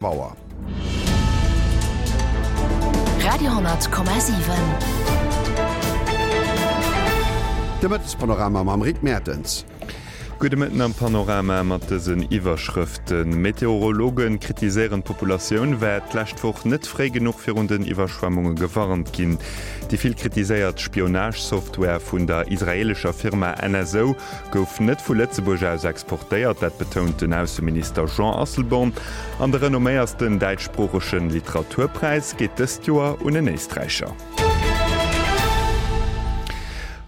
Auer. Radio,7. De Mëttespanorama mam Rick Mertens. Gudde Mëtten am Panorama mat dësen Iwwerschrëften, Meteorologe kritiséieren, d'Populatioun wär d'lescht Woch net fréi genuch virun den Iwwerschwemmunge gewarnt ginn. Déi vill kritiséiert Spionage-Software vun der israeelescher Firma NSO Gouf net vu Lëtzebuerg aus exportéiert, dat betount den Ausseminister Jean Asselborn. An de renomméiersten däitschsproochege Literaturpräis geet dëst Joer un en Éisträicher.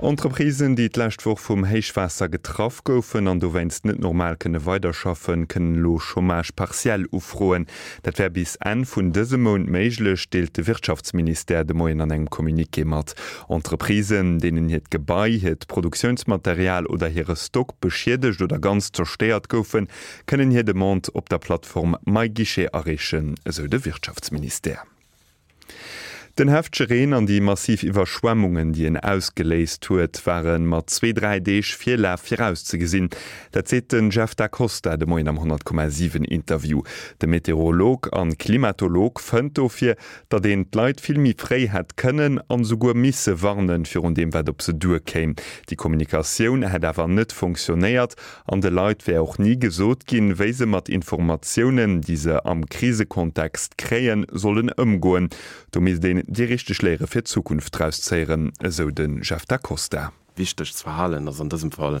Entreprisen, déi d'lescht Woch vum Héichwaasser getraff goufen an dowéinst net normal kënne weiderschaffen, kënnen elo Chômage partiel ufroen. Dat wär bis Enn vun dësem Mount méiglech, deelt de Wirtschaftsministère de Moien an engem Communiqué mat. Entreprisen, deenen hiert Gebai, hiert Produktiounsmaterial oder hire Stock beschiedegt oder ganz zerstéiert goufen, kënnen hir Demande op der Plattform MyGuichet areechen, esou de Wirtschaftsministère. Den heftege Reen an déi massiv Iwwerschwemmungen, déi en ausgeléist huet, ware mat zwee, dräi Deeg Virlaf virauszegesinn. Dat seet den Jeff Da Costa de Moien am 100,7 Interview. De Meteorolog an Klimatolog fënnt dofir, datt een d'Leit vill méi fréi hätt kënnen an esouguer misse warnen virun deem wat op se duer kéim. Déi Kommunikatioun hätt awer net fonctionnéiert an de Leit wär och ni gesot ginn, wéi se mat Informatiounen, déi se am Krisekontext kréien, sollen ëmgoen. Do misst een déi richteg Léiere fir d'Zukunft draus zéieren, esou de Jeff Da Costa. Wichteg ze verhalen ass an dësem Fall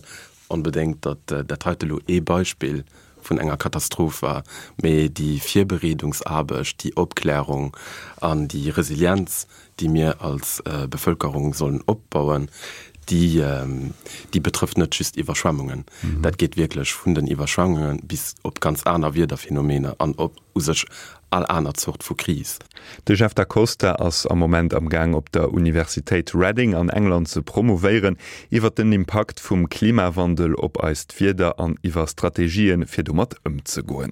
onbedéngt, datt dat heite elo ee Beispill vun enger Katastroph war, mee déi Virbereedungsaarbecht, déi Opklärung an déi Resilienz, déi mir als Bevëlkerung sollen opbauen, déi, déi betrëfft net just Iwwerschwemmungen. Dat geet wierklech vun den Iwwerschwemmunge bis op ganz aner Wiederphenomener an op u sech all aner Zort vu Kris. De Jeff Da Costa ass am Moment am Gaang op der Universitéit Reading an England ze promouvéieren iwwer den Impakt vum Klimawandel op eist Wieder an iwwer Strategien fir domat ëmzegoen.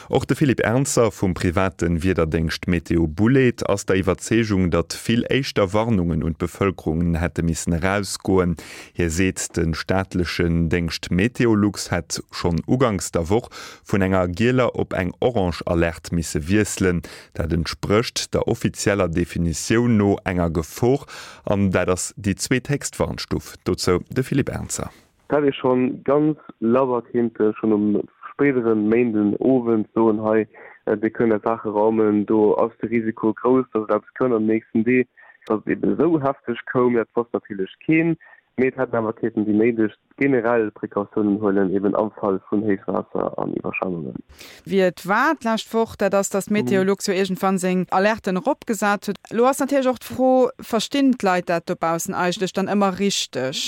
Och de Philippe Ernzer vum private Wiederdéngscht Météo Boulaide ass der Iwwerzeegung, datt vill éischter Warnungen un d'Bevëlkerung hätte missen erausgoen. Hie seet, de staatlechen Déngscht Meteolux hätt schonn uganks der Woch vun enger gieler op eng orange Alerte misse wiesselen. Dat entsprécht der offizieller Definitioun no enger Gefor an dat ass déi zweethéchst Warnstuf. Dozou de Philippe Ernzer. Et hätt ee schonn ganz labber kéinte schonn um spéidere Méinden Owend soen, hei dir kënnt är Saache raumen, do ass de Risiko grouss, datt et eppes kënnt an den nächsten Dee. Datt et eben esou hefteg koum, dat wosst natierlech keen, mee et hätten awer kéinten déi néideg generell Precautiounen huelen, eben am Fall vun Héichwaasser an Iwwerschwemmungen. Wéi et war d'lescht Woch, dat ass, datt Meteolux jo iergendwann seng Alerten eropgesat huet. Elo ass natierlech och d'Fro, Verstinn d'Leit dat dobaussen eigentlech dann ëmmer richteg?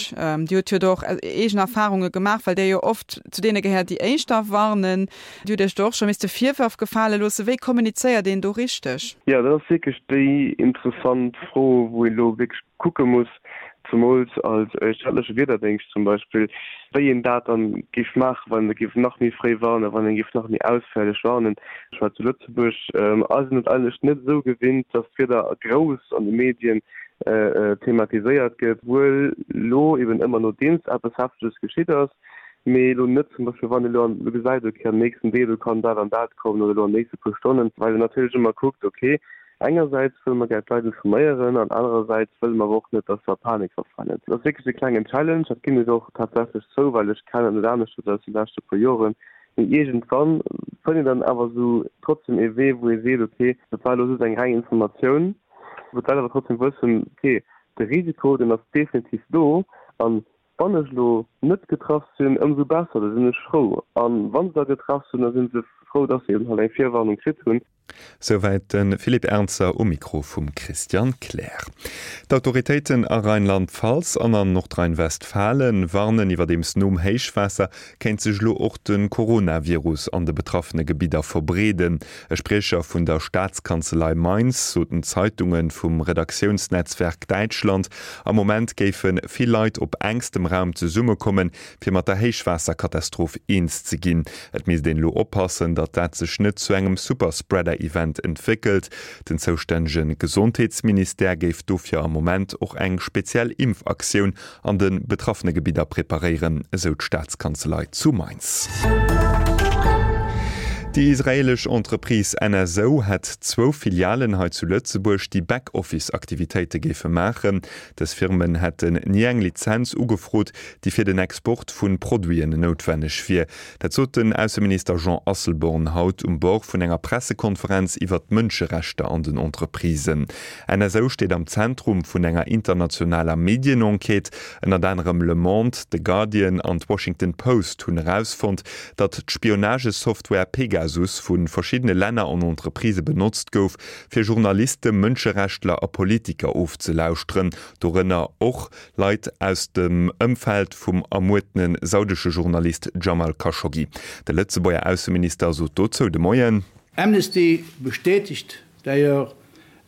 Dir hutt jo do och eegen Erfarunge gemaach, well Dir jo oft zu deene gehéiert, déi éischter warnen. Dir hutt Iech do och scho misste Virwërf gefale loossen. Wéi kommunizéiert een do richteg? Jo, dat ass wierklech déi interessant Fro, wou een elo wierklech kucke muss, zemools als staatleche Wiederdéngscht zum Beispill, wéi een dat dann géif maachen, wann ee géif nach méi fréi warnen, wann ee géif nach méi ausféierlech warnen. Ech war zu Lëtzebuerg, ass een et eigentlech net esou gewinnt, datt d'Wieder grouss an de Medien thematiséiert gëtt, wuel elo eben ëmmer nodeems eppes Hefteges geschitt ass, mee elo net zum Beispill wann ee elo gesäit, okay am nächsten Deel do kann dat an dat kommen oder elo an den nächste puer Stonnen, well een natierlech ëmmer kuckt, okay Engersäits wëlle mer gär d'Leit informéieren an anerersäits wëlle mer awer och net, dass se a Panik verfalen. Dat ass wierklech e klengen Challenge, dat ginn ech och tatsächlech zou, well ech kennen et net aneschters aus de leschte puer Joren. Mee iergendwann fënnt een dann awer esou trotzdem ee Wee, wou ee seet, okay, dat war elo just eng reng Informatioun, wou d'Leit awer trotzdem wëssen, okay, de Risiko, deen ass definitiv do an wann ech elo net getraff sinn, ëmsou besser, da sinn ech frou. A wa se da getraff sinn, da si se frou, dass se eben halt eng Virwarnung kritt hunn. Souwäit de Philippe Ernzer um Mikro vum Christian Kleer. D'Autoritéiten a Rheinland-Pfalz an an Nordrhein-Westfalen warnen iwwerdeems nom Héichwaasser kéint sech elo och de Coronavirus an de betraffene Gebidder verbreeden. E Spriecher vun der Staatskanzelei Mainz sot den Zeitunge vum Redaktiounsnetzwerk Däitschland, am Moment géife vill Leit op enkstem Raum zesummekommen, fir mat der Héichwaasserkatastroph eens ze ginn. Et misst een elo oppassen, datt dat sech net zu engem Superspreader-Event entwéckelt. Den zoustännege Gesondheetsministère géif dofir am Moment och eng speziell Impfaktioun an de betraffene Gebidder preparéieren, esou d'Staatskanzelei zu Mainz. Déi israeelesch Entreprise NSO hätt zwou Filialen hei zu Lëtzebuerg, déi Back-Office-Aktivitéite géife maachen. Dës Firmen hätten ni eng Lizenz ugefrot, déi fir den Export vu Produiten noutwenneg wier. Dat sot den Ausseminister Jean Asselborn haut um Bord vun enger Pressekonferenz iwwert d'Mënscherechter an den Entreprisen. NSO steet am Zentrum vun enger internationaler Medienenquête. Ënnert anerem Le Monde, The Guardian an d'Washington Post hunn erausfonnt, datt d'Spionagesoftware Pegasus vu verschiddene Länner an Entreprisë benotzt gouf, fir Journaliste, Mënscherechtler a Politiker ofzelauschteren, dorënner och Leit aus dem Ëmfeld vum ermuertene saudesche Journalist Jamal Khashoggi. De Lëtzebuerger Ausseminister sot dozou de Moien. Amnesty bestätigt d'ailleurs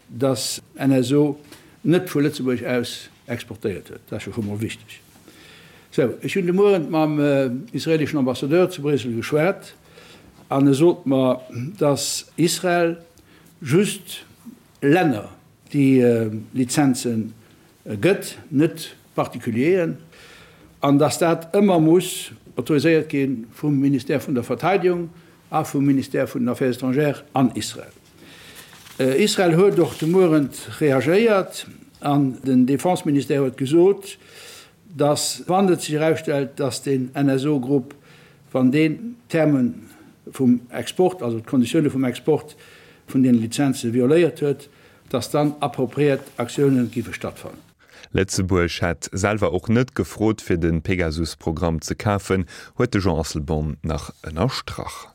dass NSO net vu Lëtzebuerg aus exportéiert huet. Dat ass jo scho mol wichteg. Sou, ech hunn de Mueren mam israeleschen Ambassadeur zu Bréissel geschwat an e sot mer, dass Israel just Länner déi Lizenze gëtt, net Particulieren, an dass dat ëmmer muss autoriséiert gi vum Ministère vun der Verteidigung a vum Ministère vun den Affaires étrangères an Israel. Israel huet och de Muerent reagéiert an den Defense-Ministère huet gesot, dass, wann et sech erausstellt, dass den NSO-Grupp, wann deen d'Terme vum Export, also d'Konditioune vum Export vun deene Lizenze violéiert huet, dass dann appropriéiert Aktioune géife stattfannen. Lëtzebuerg hätt selwer och net gefrot, fir de Pegasus-Programm ze kafen, huet de Jean Asselborn nach ënnerstrach.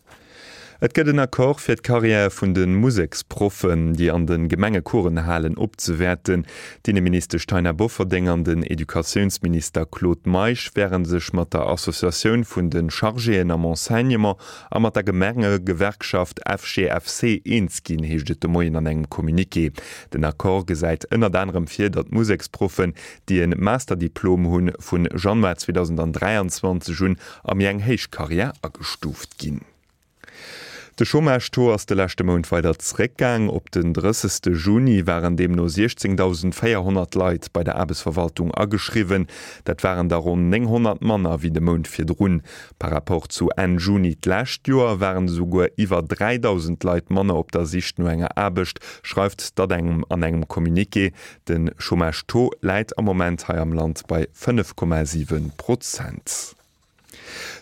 Et gëtt en Accord fir d'Carrière vun de Museksproffen, déi an de Gemenge Coursen halen, opzewäerten. D'Inneministesch Taina Bofferding an den Educatiounsminister Claude Meisch wäre sech mat der Associatioun vun de Chargéen am Enseignement a mat der Gemengegewerkschaft FGFC eens ginn, heescht et de Moien an engem Communiqué. Den Accord gesäit ënnert anerem vir, datt Museksproffen, déi e Masterdiplom hunn, vu Januar 2023 un a méi eng héich Karriär agestuuft ginn. De Chômage-Taux ass de leschte Mount weider zeréckgaang. Op den 30 Juni waren deemno 16.400 Leit bei der Aarbechtsverwaltung ageschriwwen. Dat waren der ronn 900 manner wéi de Mount virdrun. Par Rapport zu Enn Juni d'lescht Joer waren esouguer iwwer 3.000 Leit manner op der Sich no enger Aarbecht, schreift d'ADEM an engem Communiqué. De Chômage-Taux läit am Moment hei am Land bei 5,7 Prozent.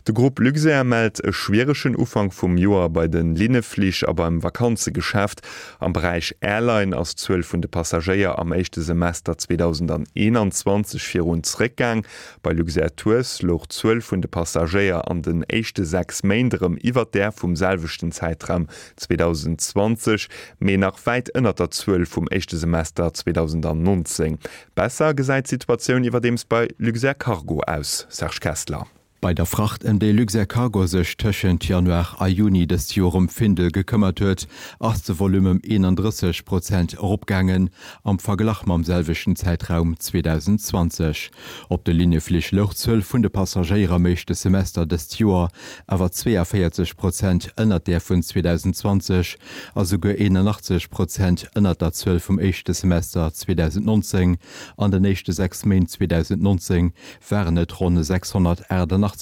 De Grupp Luxair mellt e schwieregen Ufank vum Joer bei de Linneflich a beim Vakanzegeschäft. Am Beräich Airline ass d'Zuel vun de Passagéier am éischte Semester 2021 virun zréckgaang. Bei Luxair Tours louch d'Zuel vun de Passagéier an den éischte 6 Méint erëm iwwer där vum selwechten Zäitraum 2020, mee nach wäit ënnert der Zuel vum éischte Semester 2019. Besser gesäit d'Situatioun iwwerdeems bei Luxair Cargo aus, Serge Kessler. Bei der Fracht, ëm déi Luxair Cargo sech tëschent Januar a Juni dëst Joer um Findel gekëmmert huet, ass de Volume ëm 31 Prozent eropgaangen am Verglach mam selwechten Zäitraum 2020. Op de Linneflich louch d'Zuel vun de Passagéier am éischte Semester dëst Joer awer 42 Prozent ënnert där vun 2020 a souguer 81 Prozent ënnert der Zuel vum éischte Semester 2019. An den éischte 6 Méint 2019 waren et ronn 688.000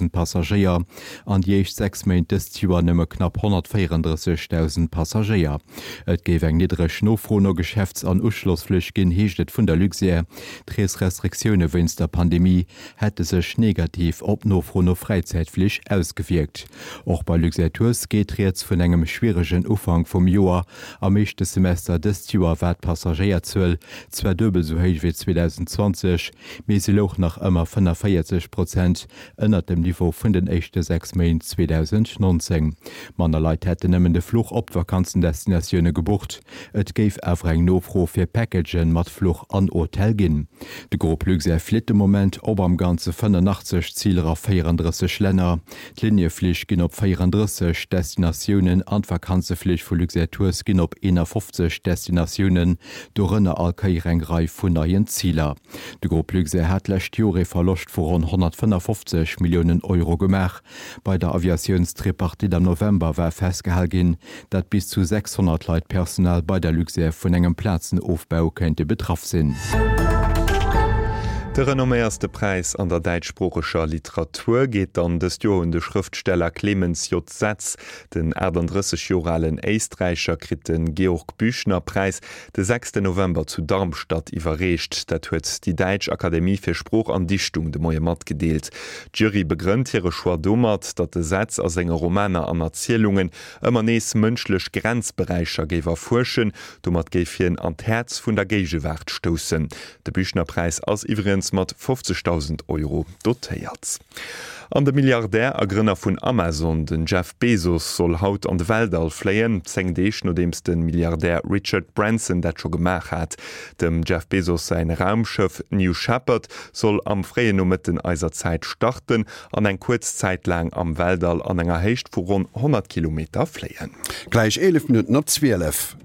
Passagéier an déi éischt 6 Méint dëst Joer nëmme knapp 134.000 Passagéier. Et géif eng niddreg Nofro no Geschäfts an Uschlossflich ginn, heescht et vun der Luxair. D'Reesrestriktioune wéinst der Pandemie hätte sech negativ op d'Nofro no Fräizäitflich ausgewierkt. Och bei Luxair Tours geet rieds vun engem schwieregen Ufank vum Joer. Am éischte Semester dëst Joer war d'Passagéierzuel zwar duebel sou héich wéi 2020, mee se louch nach ëmmer 45 Prozent ënnert dem Niveau vun den éischte 6 Méint 2019. Manner Leit hätten nëmmen de Fluch op d'Vakanzendestinatioune gebucht, et géif awer eng Nofro fir Packagen mat Fluch an Hotel ginn. De Grupp Luxair flitt de Moment op am Ganze 85 Ziler a 34 Länner. D'Linieflich ginn op 34 Destinatiounen an d'Vakanzeflich vu Luxair Tours ginn op 51 Destinatiounen, dorënner all Kéier eng Rei vun neien Ziler. De Grupp Luxair hat d'lescht Joer ee Verloscht vu ronn 155 Milliounen Euro gemaach. Bei der Aviatiounstripartite am November war festgehal ginn, dat bis zu 600 Leit Personal bei der Luxair vun engem Plazenofbau kéinte betraff sinn. De renomméierste Präis an der däitschsproocheger Literatur geet dann dëst Joer un de Schrëftsteller Clemens J. Setz. Den 38 Joer alen Éisträicher kritt de Georg-Büchner-Präis de sechste November zu Darmstadt iwwerreecht. Dat huet déi Däitsch Akademie fir Sprooch an Dichtung de Moie matgedeelt. D'Jury begrënnt hire Choix domat, datt de Setz a senge Romaner an Erzielungen ëmmer nees mënschlech Grenzberäicher géif erfuerschen. Domat géif hien an d'Häerz vun der Géigewaart stoussen. De Büchner-Präis ass iwwregens mat 50.000 Euro dotéiert. An de Milliardär a Grënner vun Amazon, den Jeff Bezos, soll haut an de Weltall fléien, 10 Deeg nodeems de Milliardär Richard Branson dat scho gemaach hat. Dem Jeff Bezos säin Raumschëff New Shepard soll am fréien Nomëtten eiser Zäit starten an eng kuerz Zäit laang am Weltall an enger Héicht vu ronn 100 Kilometer fléien. Gläich 11 Minutten op 12.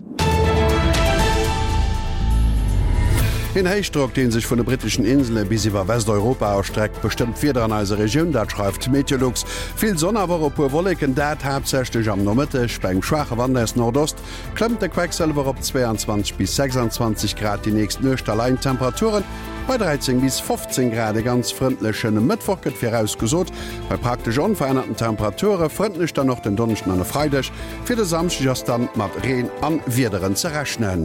Een Héichdrock, dee sech vun de britteschen Insele bis iwwer Westeuropa erstreckt, bestëmmt d'Wieder an eiser Regioun. Dat schreift Meteolux. Vill Sonn, awer och e puer Wolleken, dat haaptsächlech am Nomëtteg. Bei engem schwaache Wand aus Nordost klëmmt de Quecksëlwer op 22 bis 26 Grad. Déi nächst Nuecht da leien d'Temperature bei 13 bis 15 Grad. E ganz frëndleche Mëttwoch gëtt virausgesot, bei praktesch onverännerten Temperature. Frëndlech dann och den Donneschden an e Freideg. Fir de Samschdeg ass dann mat Reen an Wiederen ze rechnen.